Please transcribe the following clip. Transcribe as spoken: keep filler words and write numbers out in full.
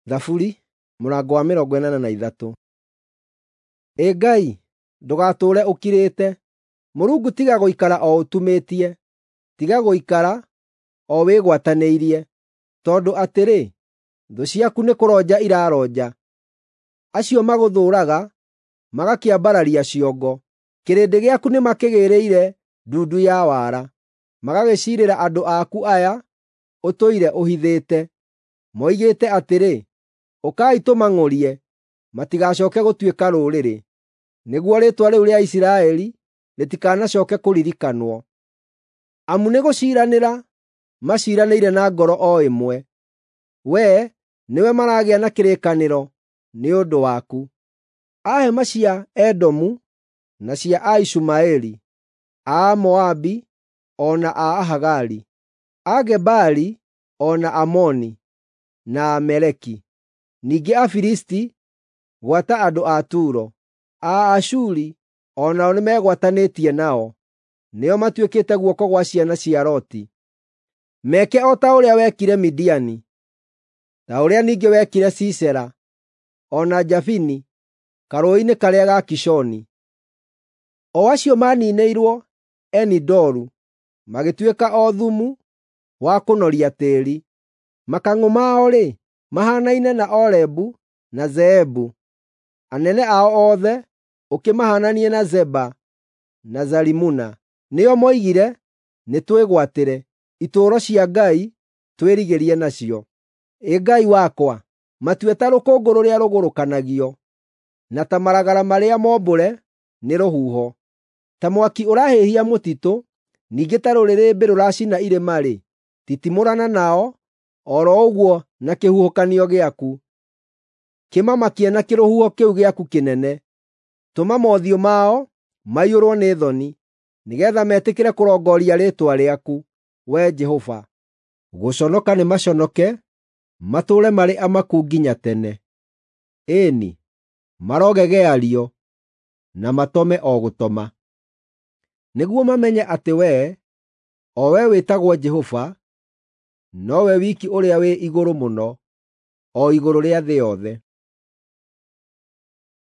Thaburi mũrango wa mĩrongo ĩnana na ithatũ. Ĩ Ngai, ndũgatũũre ũkirĩte; Mũrungu tiga gũikara o ũtumĩtie, tiga gũikara o wĩgwatanĩirie. Tondũ atĩrĩ, thũ ciaku nĩkũronja iraronja, acio magũthũũraga magakĩambararia ciongo. Kĩrĩndĩ gĩaku nĩmakĩgĩĩrĩire ndundu ya wara, magagĩciirĩra andũ aku aya ũtũire ũhithĩte. Moigĩte atĩrĩ, “Ũkai tũmang'ũrie, matigacooke gũtuĩka rũrĩrĩ, nĩguo rĩĩtwa rĩu rĩa Isiraeli rĩtikanacooke kũririkanwo.” Amu nĩgũciiranĩra maciiranĩire na ngoro o ĩmwe, wee nĩwe maragĩa na kĩrĩkanĩro nĩ ũndũ waku. A hema cia Edomu na cia Aishumaeli, a Moabi o na a Ahagari, a Gebali o na Amoni, na Amaleki. Ningĩ Afilisti, gwata andũ a Turo, a Ashuri o nao nĩmegwatanĩtie nao, nĩo matuĩkĩte guoko gwa ciana cia Loti. Meke o ta ũrĩa wekire Midiani, ta ũrĩa ningĩ wekire Sisera o na Jabini karũũĩ-inĩ karĩa ga Kishoni. O acio maaniinĩirwo Eni-Doru, magĩtuĩka o thumu wa kũnoria tĩĩri. Makang'ũ mao-rĩ, mahaanaine na Orebu na Zeebu; anene ao othe ũkĩmahaananie na Zeba na Zalimuna. Nĩo moigire, “Nĩtwĩgwatĩre itũũro cia Ngai twĩrigĩrie nacio.” Ĩ Ngai wakwa, matue ta rũkũngũ rũrĩa rũgũrũkanagio, na ta maragara marĩa mombũre nĩ rũhuho. Ta mwaki ũrahĩhia mũtitũ, ningĩ ta rũrĩrĩmbĩ rũracina irĩma-rĩ, titimũrana nao o ro ũguo na kĩhuhũkanio gĩaku. Kĩmamakie na kĩrũhuho kĩu gĩaku kĩnene. Tũma mothiũ mao maiyũrwo nĩ thoni, nĩgeetha metĩkĩre kũrongoria rĩĩtwa rĩaku, Wee Jehova. Gũconoka nĩmaconoke, matũũre marĩ amaku nginya tene. Ĩĩ-ni, marogegeario na matome o gũtoma. Nĩguo mamenye atĩ Wee, o Wee wĩtagwo Jehova, nowe wiki ũrĩa wĩ Igũrũ Mũno, o igũrũ rĩa thĩ yothe.